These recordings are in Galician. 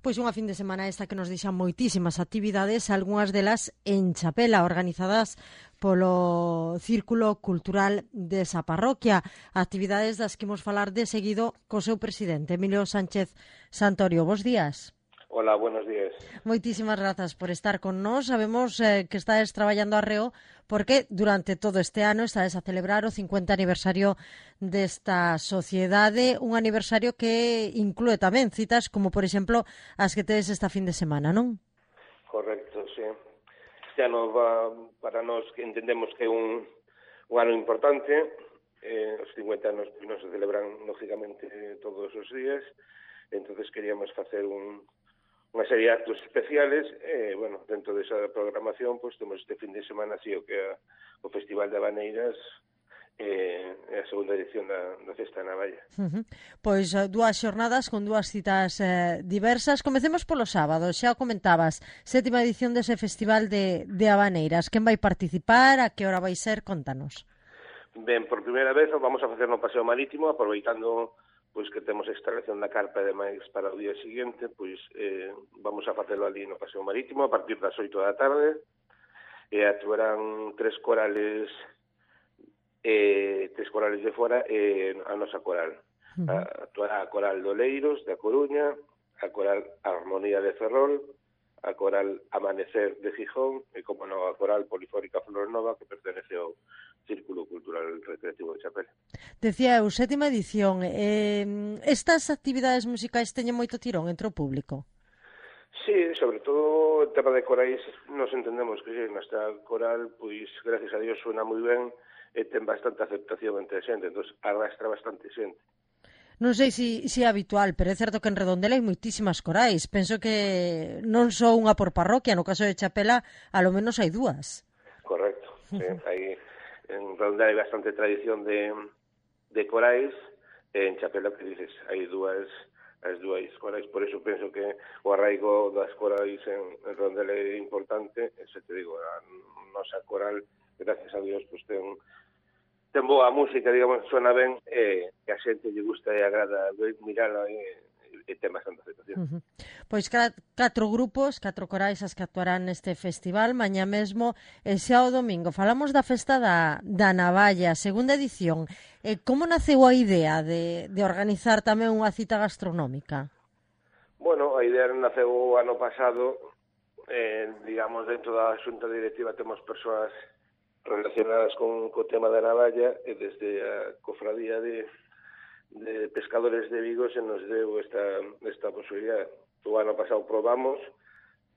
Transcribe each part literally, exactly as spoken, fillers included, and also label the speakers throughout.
Speaker 1: Pois unha fin de semana esta que nos deixan moitísimas actividades, algunhas delas en Chapela, organizadas polo Círculo Cultural desa parroquia. Actividades das que imos falar de seguido co seu presidente, Emilio Sánchez Santorio. Bos días.
Speaker 2: Hola, buenos días.
Speaker 1: Moitísimas grazas por estar con nós. Sabemos eh, que estáis traballando arreo porque durante todo este ano estáis a celebrar o cincuenta aniversario desta sociedade, un aniversario que inclúe tamén citas como, por exemplo, as que tedes esta fin de semana, non?
Speaker 2: Correcto, sí. Este ano va para nós que entendemos que é un, un ano importante. Eh, os cincuenta anos pues, non se celebran, lógicamente, todos os días. Entonces queríamos facer un unha serie de actos especiales, e, eh, bueno, dentro desa programación, pues, temos este fin de semana, así, o que é o Festival de Habaneiras, e eh, a segunda edición da, da Festa de Navalla.
Speaker 1: Uh-huh. Pois dúas xornadas con dúas citas eh, diversas. Comecemos polo sábado, xa o comentabas, sétima edición dese Festival de, de Habaneiras. Quen vai participar, a que hora vai ser? Contanos.
Speaker 2: Ben, por primeira vez vamos a facer no Paseo Marítimo, aproveitando pois que temos a instalación da carpa e demais para o día seguinte, pois eh, vamos a facelo ali no Paseo Marítimo a partir das oito da tarde, e actuarán tres corales eh, tres corales de fora e a nosa coral. Uh-huh. A, actuará a Coral de Oleiros, da Coruña, a Coral Armonía de Ferrol, a Coral Amanecer de Gijón e, como non, a Coral Polifónica Flor Nova, que pertenece ao Círculo Cultural Recreativo de Chapela.
Speaker 1: Decía eu, sétima edición. Eh, estas actividades musicais teñen moito tirón entre o público?
Speaker 2: Sí, sobre todo o tema de corais, nos entendemos que sí, nuestra coral, pois, gracias a Dios, suena moi ben e ten bastante aceptación entre a xente, entón arrastra bastante xente.
Speaker 1: Non sei se si, si é habitual, pero é certo que en Redondela hai moitísimas corais. Penso que non só unha por parroquia, no caso de Chapela, a lo menos hai dúas.
Speaker 2: Correcto, sí, hai... En Redondela hai bastante tradición de, de corais, e en Chapela, que dices, hai dúas, as dúas corais, por eso penso que o arraigo das corais en, en Redondela é importante, e se te digo, a nosa coral, gracias a Dios, pues ten, ten boa música, digamos, suena ben, e que a xente lle gusta e agrada mirala e, e ten bastante aceptación.
Speaker 1: Uh-huh. Pois catro grupos, catro corais as que actuarán neste festival, mañá mesmo e xa o domingo. Falamos da festa da, da Navalla, segunda edición. Eh, como naceu a idea de, de organizar tamén unha cita gastronómica?
Speaker 2: Bueno, a idea naceu o ano pasado, eh, digamos, dentro da xunta directiva temos persoas relacionadas con co tema da Navalla, e desde a cofradía de de pescadores de Vigo se nos deu esta, esta posibilidad. O ano pasado probamos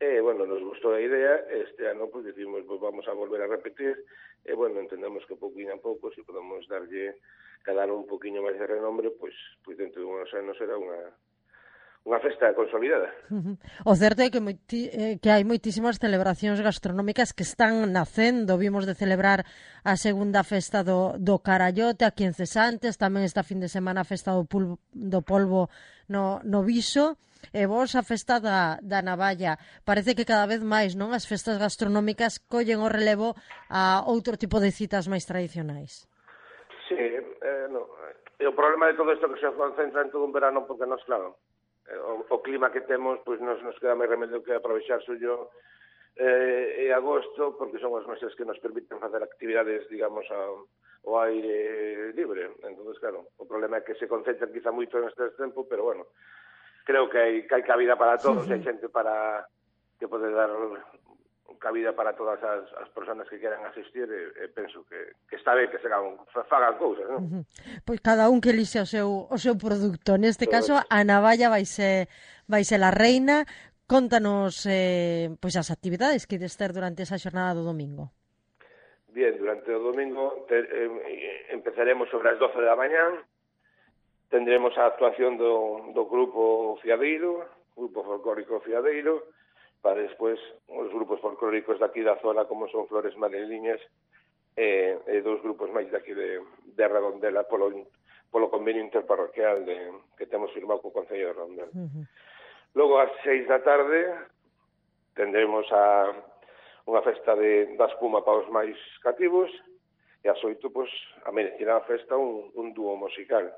Speaker 2: e, bueno, nos gustou a idea, este ano pues decimos, pues vamos a volver a repetir, e, bueno, entendemos que pouquinho a pouco, se podemos darlle cada ano un poquinho máis de renombre, pues, pues dentro de unos anos será unha unha festa consolidada.
Speaker 1: Uh-huh. O certo é que, moiti, eh, que hai moitísimas celebracións gastronómicas que están nacendo. Vimos de celebrar a segunda festa do, do Carallote aquí en Cesantes, tamén esta fin de semana a festa do, pulvo, do polvo no, no Viso, e vos a festa da, da Navalla. Parece que cada vez máis, non, as festas gastronómicas collen o relevo a outro tipo de citas máis tradicionais.
Speaker 2: Sí, eh, no. E o problema de todo isto que se concentra en todo un verano, porque nos, claro, O, o clima que temos, pois nos, nos queda máis remedio que aprovechar suyo eh, e agosto, porque son os meses que nos permiten facer actividades, digamos, ao, ao aire libre. Entonces, claro, o problema é que se concentran quizá moito en este tempo, pero bueno, creo que hai, que hai cabida para todos, sí, sí. Hai xente para que pode dar cabida para todas as, as persoas que queran asistir, e, e penso que, que está ben que se fagan, fagan cousas, non?
Speaker 1: Uh-huh. Pois cada un que elixe o seu, o seu produto. Neste Todo caso, eso. A Navalla vai ser, vai ser a reina. Contanos eh, pois as actividades que ides ter durante esa xornada do domingo.
Speaker 2: Bien, durante o domingo te, eh, empezaremos sobre as doce da mañá. Tendremos a actuación do, do grupo Fiadeiro, grupo folclórico Fiadeiro, para despois os grupos folclóricos daqui da zona, como son Flores Madrileñas, e, e dous grupos máis daqui de, de Redondela, polo, polo convenio interparroquial de, que temos firmado co Concello de Redondela. Uh-huh. Logo, ás seis da tarde, tendremos a, unha festa de, da espuma para os máis cativos, e ás oito, pois, amenecerá a festa un, un dúo musical.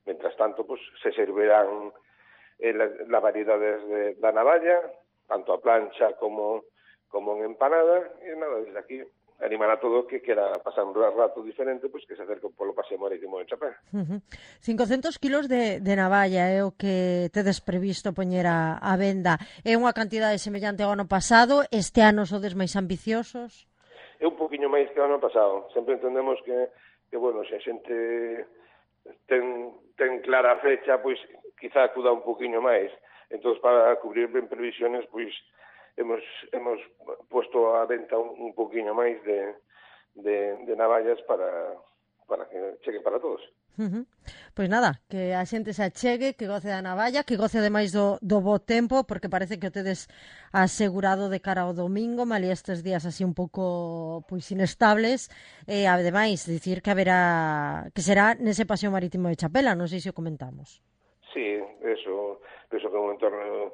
Speaker 2: Mentras tanto, pois, se servirán eh, la, la variedades de, da navalla, tanto a plancha como, como en empanada, e nada, desde aquí animar a todo que quera pasar un rato diferente, pois pues, que se acerque polo paseo marítimo de Chapela.
Speaker 1: Uh-huh. cincocentos kilos de, de navalla é o que tedes previsto poñer a, a venda. É unha cantidade semellante ao ano pasado? Este ano sodes máis ambiciosos?
Speaker 2: É un poquinho máis que o ano pasado. Sempre entendemos que, que bueno, se a xente ten, ten clara a fecha, pois quizá acuda un poquinho máis. Entón, para cubrir ben previsiones, pois hemos, hemos puesto a venta un, un poquinho máis de, de, de navallas para, para que chegue para todos.
Speaker 1: Uh-huh. Pois nada, que a xente se achegue, que goce da navalla, que goce ademais do, do bo tempo, porque parece que o tedes asegurado de cara ao domingo, malia estes días así un pouco pois inestables, e ademais dicir que haberá, que será nese paseo marítimo de Chapela, non sei se o comentamos.
Speaker 2: Sí, eso, eso que é un entorno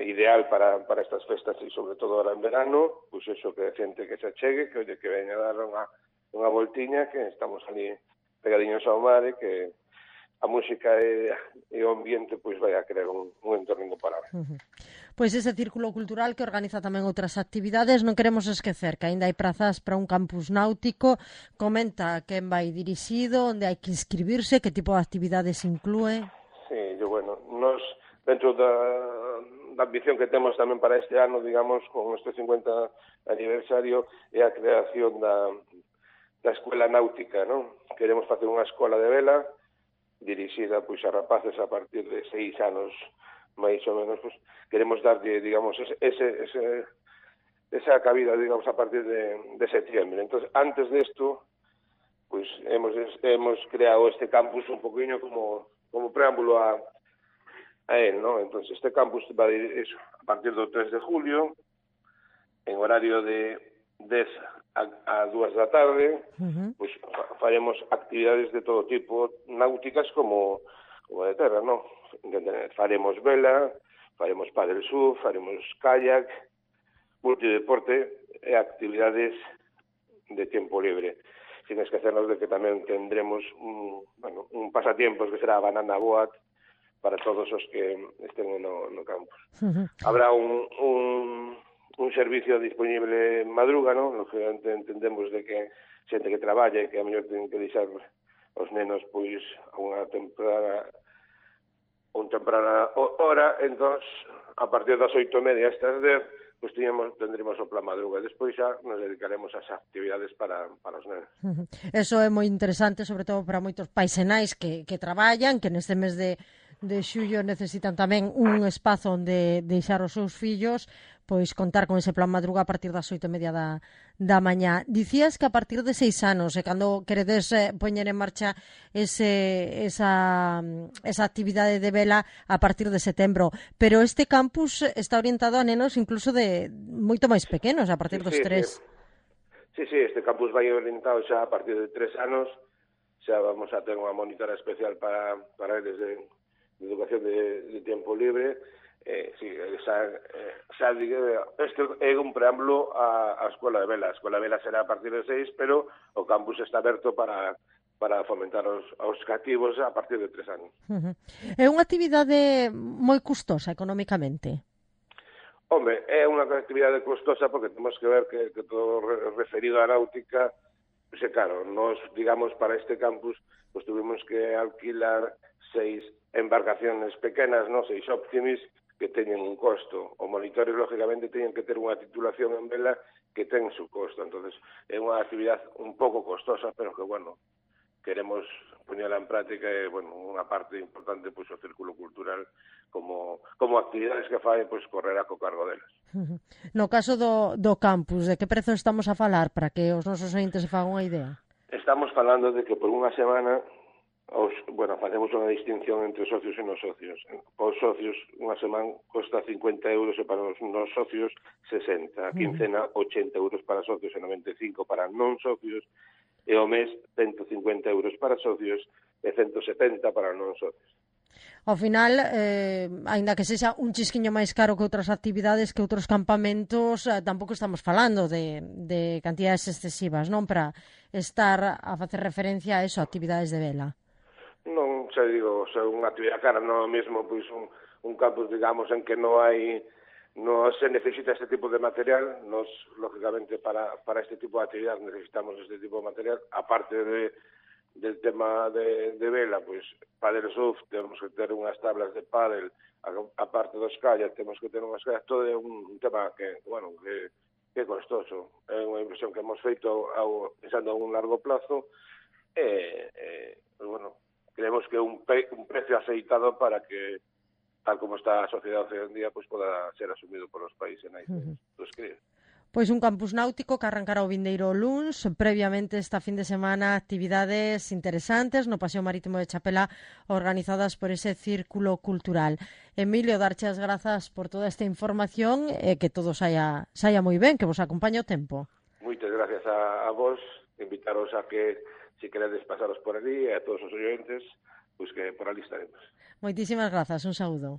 Speaker 2: ideal para, para estas festas e sobre todo ahora en verano, pois pues eso, que a xente que se achegue, que oye, que veña a dar unha, unha voltiña, que estamos ali pegadiños ao mar e que a música e, e o ambiente pois vai a crear un, un entorno incomparable.
Speaker 1: Uh-huh. Pois ese círculo cultural que organiza tamén outras actividades, non queremos esquecer que aínda hai prazas para un campus náutico. Comenta quen vai dirixido, onde hai que inscribirse, que tipo de actividades inclúe.
Speaker 2: Sí, yo, bueno, nos dentro da, da ambición que temos tamén para este ano, digamos, con este cincuenta aniversario, é a creación da, da escuela náutica, non? Queremos facer unha escola de vela dirixida pois a rapaces a partir de seis anos, máis ou menos, pois, queremos darlle, digamos, ese, ese, ese, esa cabida, digamos, a partir de, de septiembre. Entonces, antes de esto, pois hemos, hemos creado este campus un poquinho como, como preámbulo a a él, ¿no? Entonces, este campus va a ir eso, a partir do tres de julio, en horario de dez a, a dúas da tarde, uh-huh. Pues faremos actividades de todo tipo, náuticas como, como de terra, ¿no? Faremos vela, faremos paddle surf, faremos kayak, multideporte e actividades de tempo libre. Sin esquecernos de que tamén tendremos un, bueno, un pasatiempos que será a banana boat, para todos os que estén no, no campus. Uh-huh. Habrá un, un, un servicio disponible en madruga, ¿no? Lógicamente entendemos de que xente que traballa e que a mellor ten que deixar os nenos pois a unha temprana un temprana hora, entón a partir das oito e media hasta as dez pois tiñamos, tendremos o plan madruga. Despois xa nos dedicaremos ás actividades para, para os nenos.
Speaker 1: Uh-huh. Eso é moi interesante, sobre todo para moitos pais e nais que, que traballan, que neste mes de de xullo necesitan tamén un espazo onde deixar os seus fillos, pois contar con ese plan madruga a partir das oito e media da, da mañá. Dicías que a partir de seis anos, e cando queredes eh, poñer en marcha ese, esa, esa actividade de vela a partir de setembro, pero este campus está orientado a nenos incluso de moito máis pequenos, a partir
Speaker 2: sí,
Speaker 1: dos
Speaker 2: sí,
Speaker 1: tres.
Speaker 2: Sí, sí, este campus vai orientado xa a partir de tres anos, xa vamos a ter unha monitora especial para, para eles de de educación de, de tempo libre, eh, sí, xa, eh, xa digo, este é un preámbulo á, á Escola de Vela. A Escola de Vela será a partir de seis, pero o campus está aberto para, para fomentar os, os cativos a partir de tres anos.
Speaker 1: Uh-huh. É unha actividade moi custosa económicamente?
Speaker 2: Hombre, é unha actividade custosa porque temos que ver que, que todo referido á náutica, pues, é claro, nos, digamos, para este campus, pues tuvimos que alquilar seis embarcaciones pequenas, no, seis Optimis, que teñen un costo. Os monitores, lógicamente, teñen que ter unha titulación en vela que ten su costo. Entonces, é unha actividade un pouco costosa, pero que, bueno, queremos poñela en práctica e, bueno, unha parte importante, pois, o círculo cultural como, como actividades que fai, pois, correrá co cargo delas.
Speaker 1: No caso do, do campus, de que prezo estamos a falar para que os nosos ointes se fagan unha idea?
Speaker 2: Estamos falando de que por unha semana os, bueno, facemos unha distinción entre socios e non socios. Os socios, unha semana costa cincuenta euros e para os non socios sesenta. A quincena, ochenta euros para socios e noventa e cinco para non socios. E o mes, ciento cincuenta euros para socios e ciento setenta para non socios.
Speaker 1: Ao final, eh, aínda que sexa un chisquiño máis caro que outras actividades, que outros campamentos, eh, tampouco estamos falando de, de cantidades excesivas, non? Para estar a facer referencia a eso, a actividades de vela.
Speaker 2: Non sei, digo, se unha actividade cara non é mesmo pois un, un campus, digamos, en que non hai non se necesita este tipo de material. Nos, lógicamente, para, para este tipo de actividad necesitamos este tipo de material, aparte de, del tema de, de vela, pois, pádel surf, temos que ter unhas tablas de pádel, aparte dos callas, temos que ter unhas callas, todo é un, un tema que, bueno, que, que é costoso. É unha inversión que hemos feito ao, pensando a un largo plazo, e, e pues, bueno, creemos que é un, pe, un precio aceitado para que, tal como está a sociedade hoxe en día, pues poda ser asumido por os países nais uh -huh. dos críos.
Speaker 1: Pois un campus náutico que arrancará o vindeiro luns, previamente esta fin de semana actividades interesantes no Paseo Marítimo de Chapela organizadas por ese círculo cultural. Emilio, darche as grazas por toda esta información e que todo saia, saia moi ben, que vos acompañe o tempo.
Speaker 2: Moitas gracias a, a vos, invitaros a que se si queredes pasaros por ali e a todos os oyentes, pois que por ali estaremos.
Speaker 1: Moitísimas grazas, un saúdo.